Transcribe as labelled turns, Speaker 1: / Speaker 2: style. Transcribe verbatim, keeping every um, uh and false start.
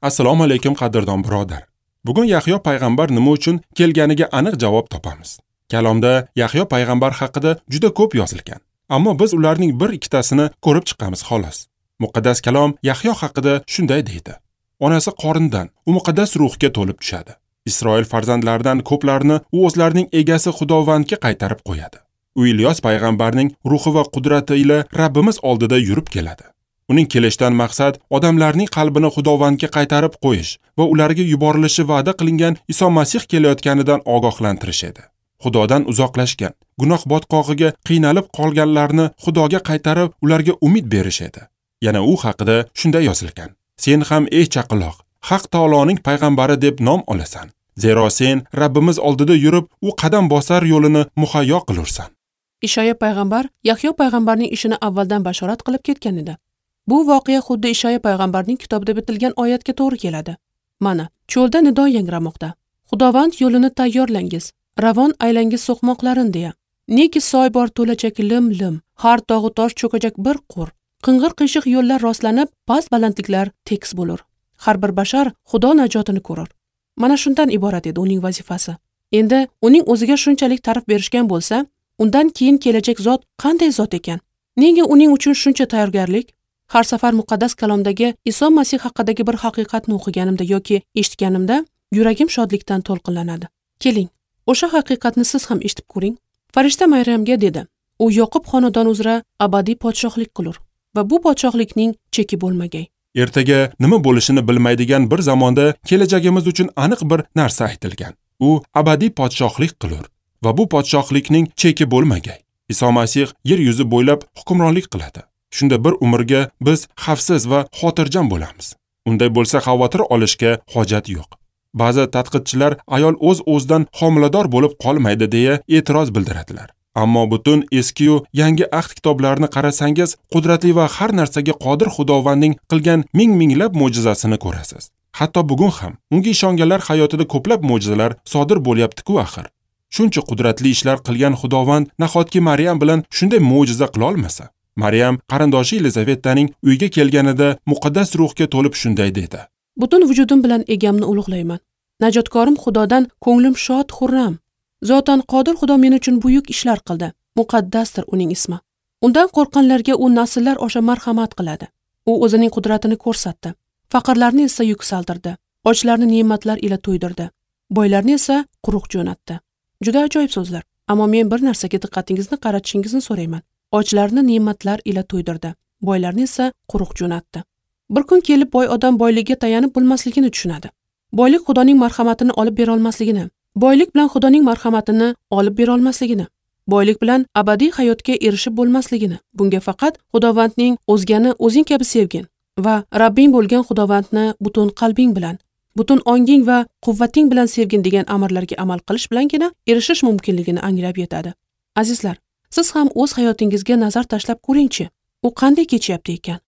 Speaker 1: Assalomu alaykum qadrdon birodar. Bugun Yahyo payg'ambar nima uchun kelganiga aniq javob topamiz. Kalomda Yahyo payg'ambar haqida juda ko'p yozilgan. Ammo biz ularning bir ikkitasini ko'rib chiqamiz xolos. Muqaddas kalom Yahyo haqida shunday deydi. Onasi qorindan u muqaddas ruhga to'lib tushadi. Isroil farzandlaridan ko'plarini u o'zlarining egasi Xudovandga qaytarib qo'yadi. U Ilyos payg'ambarning ruhi va qudrati ila Rabbimiz oldida yurib keladi. Uning kelishidan maqsad odamlarning qalbini Xudovandga qaytarib qo'yish va ularga yuborilishi va'da qilingan Iso Masih kelayotganidan ogohlantirish edi. Xudodan uzoqlashgan, gunoh botqog'iga qiynalib qolganlarni Xudoga qaytarib, ularga umid berish edi. Yana u haqida shunday yozilgan: Sen ham ey chaqiloq, Haq taoloning payg'ambari deb nom olasan. Zero sen Rabbimiz oldida yurib, u qadam bosar yo'lini muhayyo qilursan.
Speaker 2: Ishoya payg'ambar Yahyo payg'ambarning ishini avvaldan bashorat qilib ketgan edi. Bu voqea xuddi Ishoya payg'ambarning kitobida bitilgan oyatga to'g'ri keladi. Mana, cho'lda nido yangramoqda. Xudovand yo'lini tayyorlangiz, ravon aylangiz so'qmoqlarin deya. Neki soy bor to'lajak lim-lim, har tog'u tosh cho'kajak bir qo'r. Qing'ir qiyshiq yo'llar rostlanib, past balandliklar tekis bo'lur. Har bir bashar Xudo najotini ko'rur. Mana shundan iborat edi uning vazifasi. Endi uning o'ziga shunchalik ta'rif berishgan bo'lsa, undan keyin kelajak zot qanday zot ekan? Nega uning uchun shuncha tayyorgarlik? Har safar muqaddas kalomdagi Iso Masih haqidagi bir haqiqatni o'qiganimda yoki eshitganimda yuragim shodlikdan to'lqinlanadi. Keling, o'sha haqiqatni siz ham eshitib ko'ring. Farishta Maryamga dedi: "U Yoqub xonadoni uzra abadiy podshohlik qilur va bu podshohlikning cheki bo'lmagay."
Speaker 1: Ertaga nima bo'lishini bilmaydigan bir zamonda kelajagimiz uchun aniq bir narsa aytilgan. U abadiy podshohlik qilur va bu podshohlikning cheki bo'lmagay. Iso Masih yer yuzi bo'ylab hukmronlik qiladi. Shunda bir umrga biz xavfsiz va xotirjam bo'lamiz. Unday bo'lsa xavotir olishga hojat yo'q. Ba'zi tadqiqchilar ayol o'z-o'zidan homilador bo'lib qolmaydi deya e'tiroz bildiradilar. Ammo butun eski-yu yangi ahd kitoblarini qarasangiz, qudratli va har narsaga qodir Xudovandning qilgan ming-minglab mo'jizasini ko'rasiz. Hatto bugun ham unga ishonganlar hayotida ko'plab mo'jizalar sodir bo'lyapti-ku axir. Shuncha qudratli ishlar qilgan Xudovand nahotki Maryam bilan shunday mo'jiza qila olmasa? Maryam qarindoshi Yelizavetaning uyiga kelganida muqaddas ruhga to'lib shunday dedi:
Speaker 2: Butun vujudim bilan egamni ulug'layman. Najotkorim Xudodan ko'nglim shod xurram. Zotan qodir Xudo men uchun buyuk ishlar qildi. Muqaddasdir uning ismi. Undan qo'rqqanlarga u nasllar osha marhamat qiladi. U o'zining qudratini ko'rsatdi. Faqirlarni esa yuksaltirdi. Ochlarni ne'matlar ila to'ydirdi. Boylarni esa quruq jo'natdi. Juda ajoyib so'zlar. Ammo men bir narsaga diqqatingizni qaratishingizni so'rayman. Ochlarni ne'matlar ila to'ydirdi, boylarni esa quruq jo'natdi. Bir kun kelib boy odam boyligiga tayanib bo'lmasligini tushunadi. Boylik Xudoning marhamatini olib bera olmasligini, boylik bilan Xudoning marhamatini olib bera olmasligini, boylik bilan abadiy hayotga erishib bo'lmasligini, bunga faqat Xudovandning o'zgani o'zing kabi sevgin va Rabbing bo'lgan Xudovandni butun qalbing bilan, butun onging va quvvating bilan sevgin degan amrlarga amal qilish bilangina erishish mumkinligini anglab yetadi. Azizlar, siz ham o'z hayotingizga nazar tashlab ko'ringchi, u qanday kechyapti ekan?